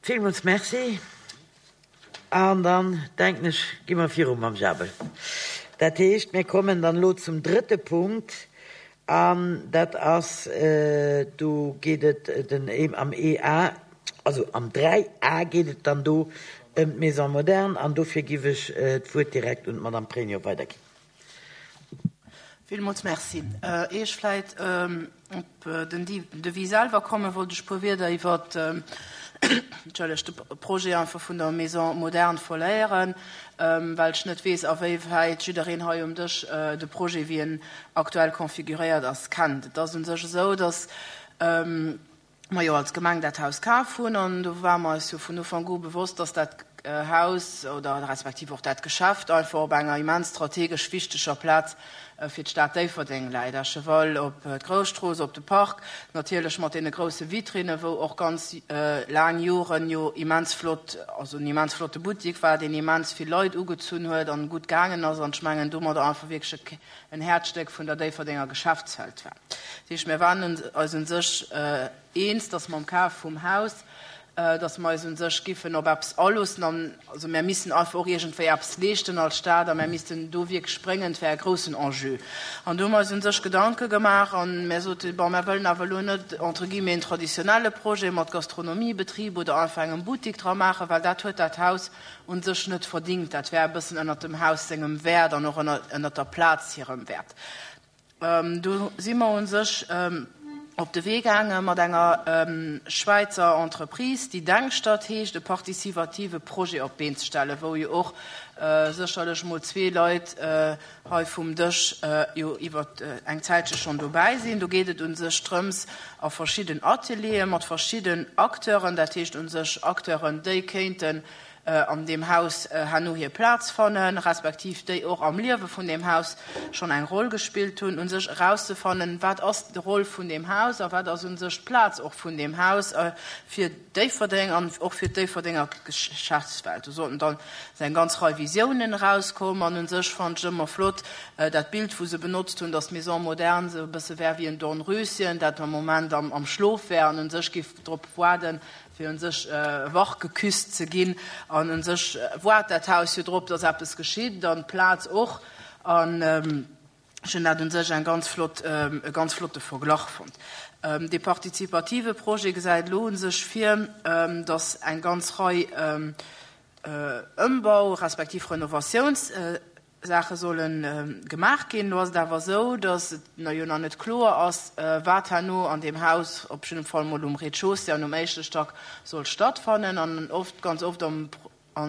Villmools Merci. An dann, denken ech, gi mer viru mam Jabel. Dat heescht, mir kommen dann elo zum drëtte Punkt, an dat ass, do geet et den am EA, also am 3A geet et dann do ëm d'Maison moderne, an dofir giff ech d'Wuert direkt un d'Madame Pregno weiderginn. Villmools Merci. Ier ech vläit op den Devis selwer kommen, wollt ech e puer Wierder iwwer de Projet einfach vun der Maison moderne verléieren, well ech net weess, awéiwäit jiddereen hei um Dësch de Projet, wéi en aktuell configuréiert ass, kennt. Et ass u sech esou, dass mer jo als Gemeng dat Haus kaf hunn an do ware mer eis jo vun Ufank u bewosst, dass dat Haus oder respektiv och dat Geschäft einfach op enger immens strategesch wichteger Plaz fir d'Stad Déifferdeng läit, à cheval op d'Grousstrooss, op de Park, natierlech mat deene grousse Vitrinnen, wou och ganz laang Joren jo immens flott, also en immens flotte Buttik war, deen immens vill Leit ugezunn huet an gutt gaangen ass an ech mengen domadder einfach wierklech en Häerzstéck vun der Déifferdenger Geschäftswelt war. Dat heescht, mir waren eis u sech eens, dass mam Kaf vum Haus, dass mer eis u sech giffen op eppes aloossen an also mir missten einfach och iergendwéi eppes leeschten als Stad a mir missten do wierklech spréngen. Et wär e groussen Enjeu. An do hu mer eis u sech Gedanke gemaach a mir sote, bon, mir wëllen awer elo net entre guillemets en traditionelle Projet mat Gastronomiebetrib oder einfach engem Buttik dra maachen, well dat huet dat Haus u sech net verdingt. Dat wär e bëssen ënnert dem Haus sengem Wäert an och ënnert der Plaz hirem Wäert. Do si mer u sech op de Wee gaange mat enger Schwäizer Entreprise, déi Denkstatt heescht, e partizivative Projet op d'Been ze stellen, wou jo och sécherlech mol zwee Leit hei vum Dësch jo iwwer eng Zäitche schonn dobäi sinn. Do geet et u sech drëms, a verschidden Ateliere mat verschidden Acteuren, dat heescht u sech Acteuren, déi kéinten an deem Haus herno hir Plaz fannen, respektiv déi och am Liewe vun deem Haus schonn eng Roll gespillt hunn, u sech erauszefannen, wat ass d'Roll vun deem Haus a wat ass u sech d'Plaz och vun deem Haus fir Déifferdeng an och fir d'Déifferdenger Geschäftswelt. Do sollten dann eng ganz Rei Visiounen erauskommen an u sech fand ech ëmmer flott dat Bild, wou se benotzt hunn, dass d'Maison moderne esou e bësse wär wéi en Dornröschen, dat am Moment am Schlof wär an u sech géif drop waarden, fir u sech wach geküsst ze ginn. An u sech waart dat Haus jo drop, dass eppes geschitt an d'Plaz och. An ech hunn dat u sech eng ganz flott, e ganz flotte Verglach fonnt. Dee partizipative Projet gesäit elo u sech vir, dass eng ganz Rei Ëmbau respektiv Renovatiouns-Saache solle gemaach ginn. Elo ass et awer esou, dass et jo nach net kloer ass, wat herno an deem Haus, op jidde Fall mol um Rez-de-chaussée an um éischte Stack, soll stattfannen. An oft, ganz oft am A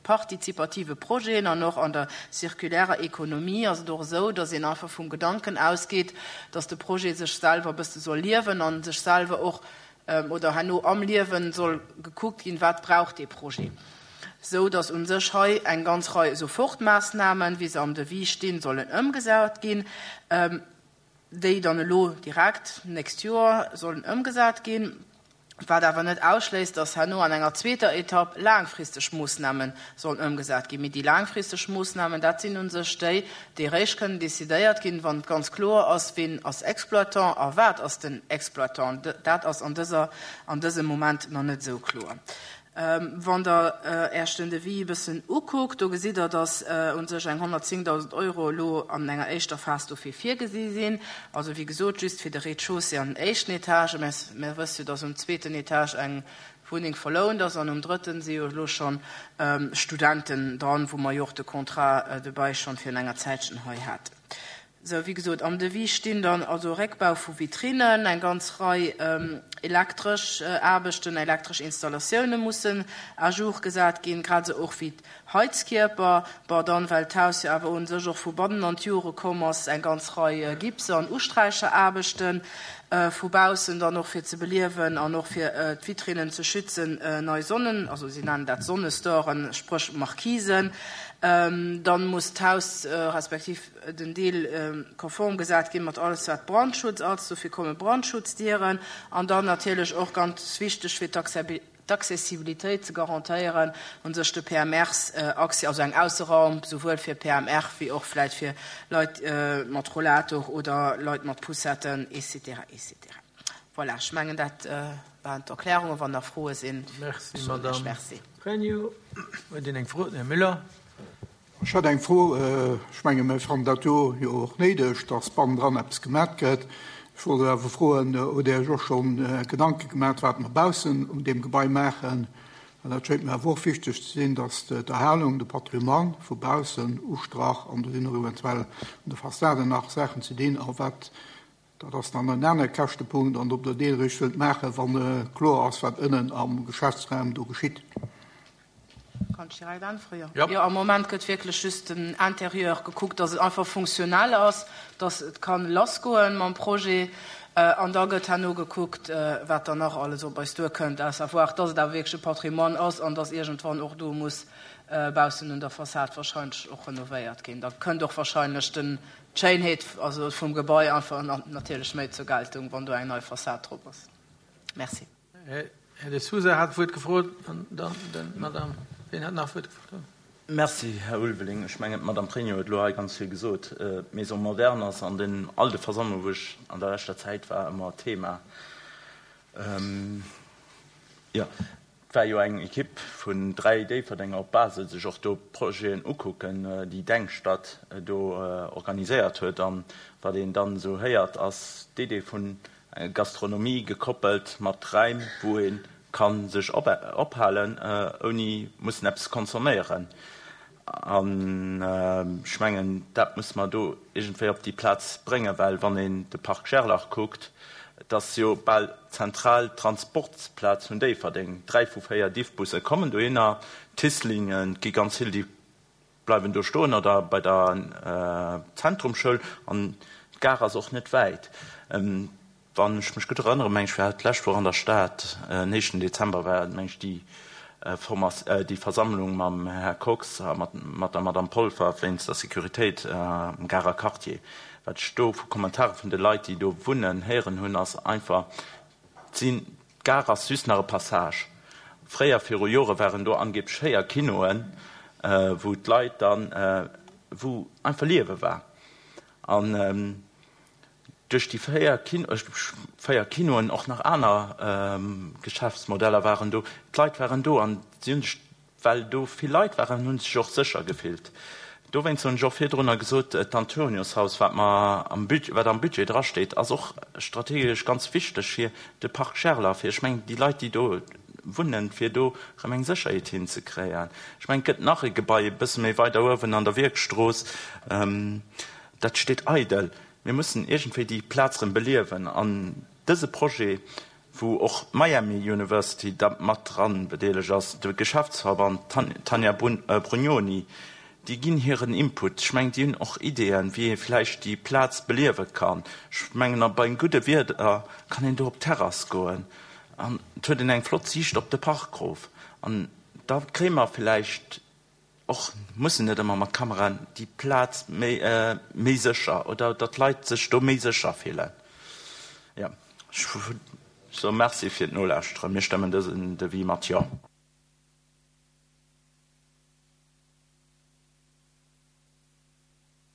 partizipative Projeten an och an der circulärer Ekonomie ass et och esou, dass een einfach vum Gedanken ausgeet, dass de Projet sech selwer e bësse soll liewen a sech selwer och oder herno am Liewen soll gekuckt ginn, wat brauch dee Projet, esou dass u sech hei eng ganz Rei Sofortmaassnamen, wéi se am Devis stinn, sollen ëmgesat ginn. déi dann elo direkt d'nächst Joer sollen ëmgesat ginn, wat awer net ausschléisst, dass herno an enger zweeter Etapp laangfristeg Moossname sollen ëmgesat ginn. Mee déi laangfristeg Moossnamen, dat sinn u sech déi, déi eréischt kënnen decidéiert ginn, wann et ganz kloer ass, wien ass Exploitant a wat ass den Exploitant. Dat ass an dëser, an dësem Moment nach net esou kloer. Wann Der Äech den Devis e bëssen ukuckt, do gesitt Der, dass u sech eng 110.000 Euro elo an enger éischter Phas dofir virgesi sinn. Also, wéi gesot, just fir de Rez-de-chaussée an den éischten Etage. Mä mir wësse jo, dass um zweeten Etage eng Wunneng verlount ass an um drëtten si jo elo schonn Studenten dran, wou mer jo och de Contrat de bail schonn virun enger Zäitchen hei haten. Sou, wéi gesot, am Devis stinn dann also Réckbau vu Vitrinnen, eng ganz Rei elektresch Aarbechten, elektresch Installatioune mussen à jour gesat ginn, grad esou och wéi d'Heizkierper. Bon, dann, well d'Haus jo awer u sech och vu bannen an d'Jore komm ass, eng ganz Rei Gipse an Usträicheraarbechten vu baussen dann och fir ze beliewen an och fir d'Vitrinnen ze schützen, nei Sonnen, also si nennen dat Sonnestoren, spréch Marquisen. Dann muss d'Haus respektiv den Deel konform gesat ginn mat alles wat Brandschutz ass, dofir komme Brandschutzdieren an dann natierlech och ganz wichteg fir d'Accessibilitéit ze garantéieren u sech de PMRs Accès, also eng Ausseraum souwuel fir PMR wéi och vläit fir Leit mat Rollator oder Leit mat Poussetten et cetera et cetera. Voilà, ech mengen, dat waren d'Erklärungen. Wann nach Froe sinn, Merci, soen ech Madame Merci. Pregno. Huet een eng Fro? Den Här Müller. Ech hätt eng Fro. Ech menge mir fannen dat do jo och néideg, dass bannendran eppes gemat gëtt. Ech wollt awer froen, Hutt Dir Iech och scho Gedanke gemat, wat mer baussen un deem Gebai maachen? Well dat schéngt mir awer och wichteg ze sinn, dass d'Erhalung, de Patrimoine vu baussen ustrach an do sinn och eventuell un de Fassaden nach Saachen ze dinn. A wat, dat ass dann en anere Käschtepunkt, an ob Der dee eréischt wëllt maachen, wa kloer ass, wat ënnen am Geschäftsraum do geschitt. Kann ech direkt äntweren? Jo. Jo, am Moment gëtt wierklech just den Intérieur gekuckt, dass et einfach funktionell ass, dass et kann lassgoen mam Projet. An da gëtt herno gekuckt, wat dann nach alles op eis duerkënnt, à savoir, dass et awer wierklech e Patrimoine ass an dass iergendwann och do muss baussen un der Fassad wahrscheinlech och renovéiert ginn. Da kënnt och wahrscheinlech den, d'Schéinheet also vum Gebai einfach natierlech méi zur Geltung, wann do eng nei Fassad drop ass. Merci. Här De Sousa hat d'Wuert gefrot an dann den Madame. Wien hat nach d'Wuert gefrot? Merci, Här Ulveling. Ech mengen, d'Madame Pregno huet elo hei ganz vill gesot. D'Maison moderne ass an den all de Versammlungen, wou ech an der leschter Zäit war, ëmmer Thema. Jo, et war jo eng Ekipp vun 3 Déifferdenger op Basel sech och do Projeten ukucken, déi Denkstatt do organiséiert huet. An wat een dann esou héiert, ass d'Idee vun Gastronomie gekoppelt mat Räim, wou ee ka sech ophalen, ouni mussen eppes consomméieren. An ech mengen, dat musse mer do iergendwéi op déi Plaz bréngen, well wann een de Parc Gerlach kuckt, et ass jo bal d'zentral Transportsplaz vun Déifferdeng. 3 vu 4 Diffbusse kommen dohinner, d'Thislinge gi ganz vill, déi bleiwen do stoen oder bei der Zentrumschoul an d'Gare ass och net wäit. Wann ech mech gutt erënneren, meng ech war d'lescht Woch an der Stad, en éischten Dezember war meng ech déi Format déi Versammlung mam Här Kox a mat mat der Madame Polfer wéinst der Sécuritéit am Garer Quartier. Wat ech do vu Kommentare vun de Leit, déi do wunnen, héieren hunn, ass einfach, d'sinn D'Gare ass just nach e Passage. Fréier, viru Jore waren do angeblech 4 Kinoen, wou d'Leit dann, wou einfach Liewe war. An duerch déi 4 Kino, 4 Kinoen, och nach aner Geschäftsmodeller waren do, d'Leit waren do an si hunn sech Well do vill Leit waren, hu sech och sécher gefillt. Dowéinst hunn ech och virdrunner gesot, d'Antoniushaus, wat mer am Budget, wat am Budget drasteet, ass och strategesch ganz wichteg fir de Parc Gerlach, fir, ech mengen, déi Leit, déi do wunnen, fir do erëm eng Sécherheet hinzekréien. Ech mengen, et gëtt nach e Gebai e bësse méi weider uewen an der Wierkstrooss, dat steet eidel. Mir mussen iergendwéi déi Plaz erëm beliewen. An dëse Projet wou och d'Miami University da mat dran bedeelegt ass, de Geschäftsverband, d'Tanja Brugnoni, déi ginn hiren Input. Ech mengen, déi hunn och Ideeën, wéi ee vläicht déi Plaz beliewe kann. Ech mengen, a beim gudde Wieder kann een do op d'Terrass goen an et huet een eng flott Siicht op de Park erof. An da kréie mer vläicht och mussen net ëmmer mat Kameraen déi Plaz méi méi sécher oder datt d'Leit sech do méi sécher fillen. Jo, ech soe Merci fir d'Nolauschteren. Mir stëmmen dësen Devis mat Jo.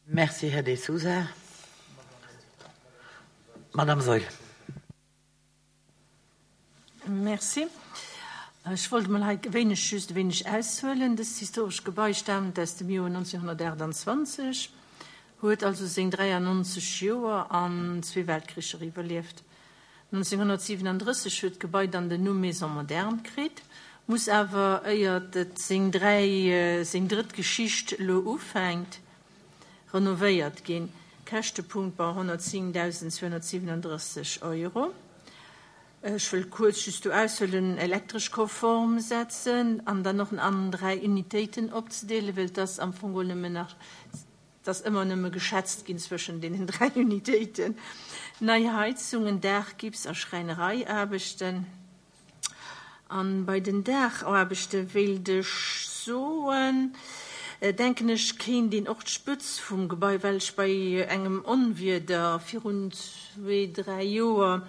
Merci, Här De Sousa. Madame Saeul. Merci. Ech wollt emol hei e wéineg, just e wéineg aushuelen. Dëst historescht Gebai staamt aus dem Joer 1928, huet also seng 93 Joer an zwee Weltkricher iwwerlieft. 1937 huet d'Gebai dann den Numm Maison moderne kritt, muss awer, éiert et seng dräi, seng drëtt Geschicht elo ufänkt, renovéiert ginn. Käschtepunkt bei 110.237 Euro. Ech wëll kuerz just do aushuelen, elektresch konform setzen an dann och an 3 Unitéiten opzedeelen, well et ass am Fong geholl nëmmen nach, et ass ëmmer nëmme geschätzt ginn zwëschen deenen 3 Unitéiten. Nei Heizungen, Daach, Gips a Schräinereiaarbechten. An bei den Daachaarbechte wéilt ech soen, denken ech, kéint een och d'Spëtz vum Gebai, well ech bei engem Onwieder virun zwee, dräi Joer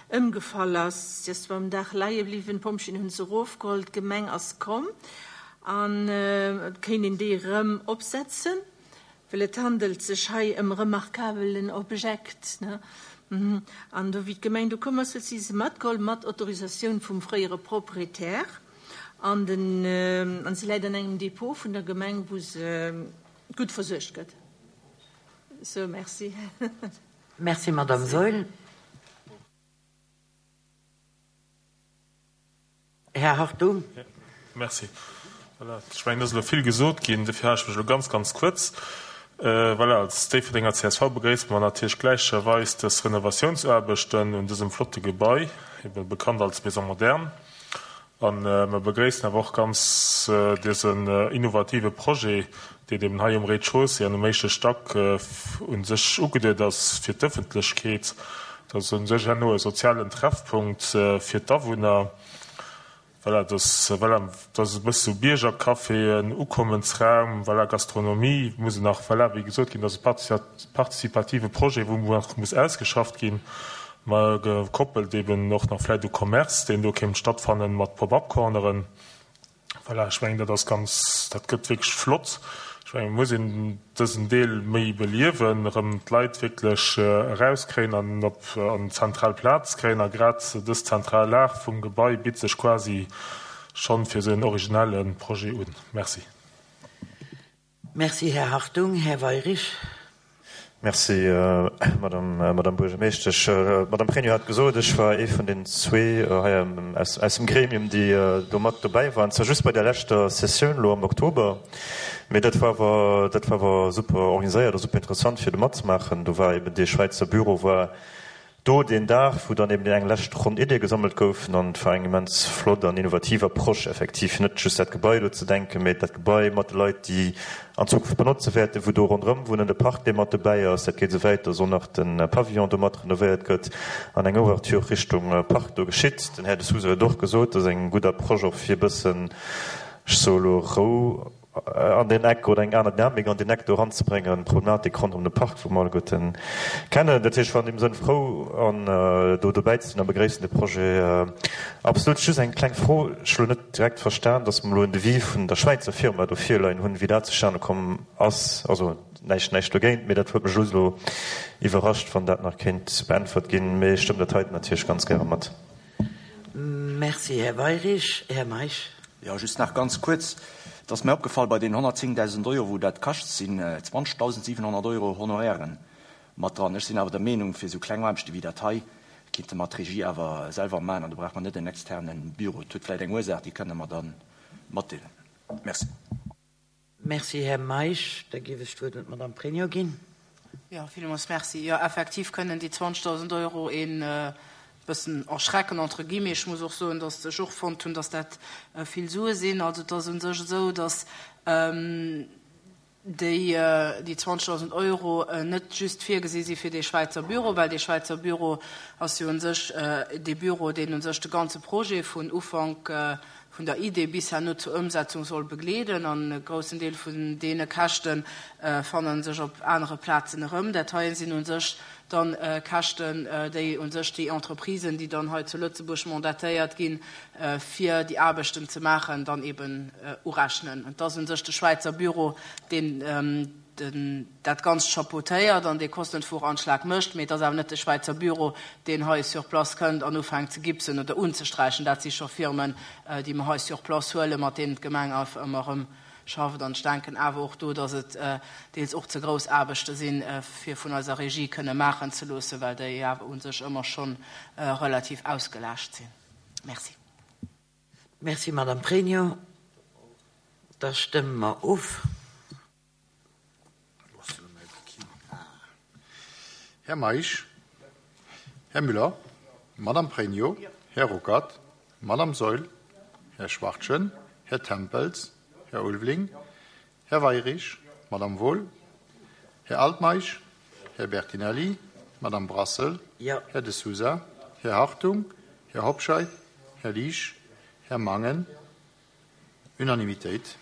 ëmgefall ass, si ass zwar um Daach leie bliwwen, d'Pompjeeën hunn se erofgeholl, d'Gemeng ass komm, an et kéint een déi erëm opsetzen. Well et handelt sech hei ëm remarkabelen Objekt, ne? An do, wéi d'Gemeng do komm ass, huet si se matgeholl, mat Autorisatioun vum fréiere Proprietär. An den, an se läit an engem Depot vun der Gemeng, wou se gutt versuergt gëtt. Sou, merci. Merci, Madame Saeul. Här Hartung. Merci. Voilà, ech mengen, et ass elo vill gesot ginn, dofir hale ech mech elo ganz, ganz kuerz. Voilà, als Déifferdenger csv begréisse mer natierlech gläicherweis dës Renovatiounsaarbechten un dësem flotte Gebai, ebe bekannt als Maison moderne. A mer begréissen awer och ganz dësen innovative Projet, deen eben hei um Rez-de-chaussée an um éischte Stack u sech ugeduet ass fir d'Ëffentlechkeet. Dat ass u sech herno e sozialen Treffpunkt fir d'Awunner. Voilà, dass, voilà, dat ass e bësse sou Biergercafé, en Ukommensraum, voilà, Gastronomie muss nach, voilà, wéi gesot ginn, dat ass e partizipative Projet, wou nach muss ausgeschafft ginn, ma gekoppelt eben och nach vläicht u Commerce, deen do kéint stattfannen mat Pop-up-Corneren. Voilà, ech mengen, dat ass ganz, dat gëtt wierklech flott. Ech mengen, et muss een dësen Deel méi beliewen, erëm d'Leit wierklech erauskréien an op an zentral Plaz kréien. A grad dës zentral Lag vum Gebai bitt sech quasi schonn fir esou en originelle Projet un. Merci. Merci, Här Hartung. Här Weyrich. Merci, Madame Buergermeeschtesch. D'Madame Pregno hat gesot, ech war ee vun den zwee hei aus dem Gremium, déi do mat dobäi waren. Zwar just bei der leschter Sessioun elo am Oktober, mee dat war awer, dat war awer super organiséiert a super interessant, fir do matzemaachen. Do war eben dee Schwäizer Büro war Do deen Dag, wou dann eben déi eng lescht Ronn Iddie gesammelt goufen, an et war eng immens flott an innovativ Approche effektiv, fir net just dat Gebai elo ze denken, mee dat Gebai mat de Leit, déi an Zukunft benotze wäerten, wou do ronderëm wunnen, de Park, dee mat dobäi ass. Dat geet esou wäit, dass och nach de Pavillon do mat renovéiert gëtt an eng Ouverture Richtung Park do geschitt. Den Här De Sousa huet och gesot, dat ass eng gutt Approche och fir e bëssen, ech soe elo Rou, an deen Eck oder eng aner Dynamik an deen Eck do eranzebréngen, d'Problematik ronderëm de Park, wou mer alleguerten kennen. Dat heescht, ech war an deem Sënn frou, an do dobäi ze sinn a begréissen de Projet absolut. Just eng kleng Fro, Ech hu lo net direkt verstan, datt mer elo en Devis vun der Schwäizer Firma do virleien hunn, wéi dat zustane komm ass. Also näischt, näischt dogéint, mee dat huet mech just elo iwwerrascht, wann dat nach kéint beäntwert ginn. Mee ech stëmmen dat heiten natierlech ganz gäre mat. Merci, Här Weyrich. Här Meisch. Jo, just nach ganz kuerz. Et ass mir opgefall, bei deenen 110.000 Euro, wou dat kascht, sinn 20.700 Euro Honorairen mat dran. Ech sinn awer der Meenung, fir esou kleng Aarbechte wéi dat hei, kinnte mer d'Regie awer selwer maachen an do brauche mer net en externe Büro. Et huet vläicht eng Ursaach, déi kënne mer da matdeelen. Merci. Merci, Här Meisch. Da géif ech d'Wuert un d'Madame Pregno ginn. Jo, villmools merci. Jo, effektiv kënnen déi 20.000 Euro een bëssen erschrecken, entre guillemets. Ech muss och soen, dass ech och fonnt hunn, dass dat vill Sue sinn. Also et ass u sech esou, dass déi 20.000 Euro net just virgesi si fir dee Schwäizer Büro, well dee Schwäizer Büro ass jo u sech dee Büro, deen u sech de ganze Projet vun Ufank vun der Idee bis herno zur Ëmsetzung soll begleeden. An e groussen Deel vun deene Käschte fanne sech op anere Plazen erëm. Dat heien sinn u sech dann Käschten, déi u sech déi Entreprisen, déi dann hei zu Lëtzebuerg mandatéiert ginn, fir déi Aarbechten ze maachen, dann eben urechnen. Et ass u sech de Schwäizer Büro, deen dat Ganzt chapeautéiert an dee Kostenvoranschlag mécht, mee et ass awer net de Schwäizer Büro, deen hei sur place kënnt an ufänkt ze gipsen oder unzesträichen. Dat si scho Firmen, déi mer hei sur place huelen, mat deenen d'Gemeng einfach ëmmer erëm schafft. An ech denken awer och do, datt et deels och ze grouss Aarbechte sinn, fir vun eiser Regie kënne maachen ze loossen, well déi awer u sech ëmmer scho relativ ausgelaascht sinn. Merci. Merci, Madame Pregno. Da stëmme mer of. Här Meisch, Här Müller, Madame Pregno, Här Ruckert, Madame Saeul, Här Schwachtgen, Här Tempels, Här Ulveling, Här Weyrich, Madame Wohl, Här Altmeisch, Här Bertinelli, Madame Brassel, Här De Sousa, Här Hartung, Här Hobscheit, Här Liesch, Här Mangen. Unanimitéit.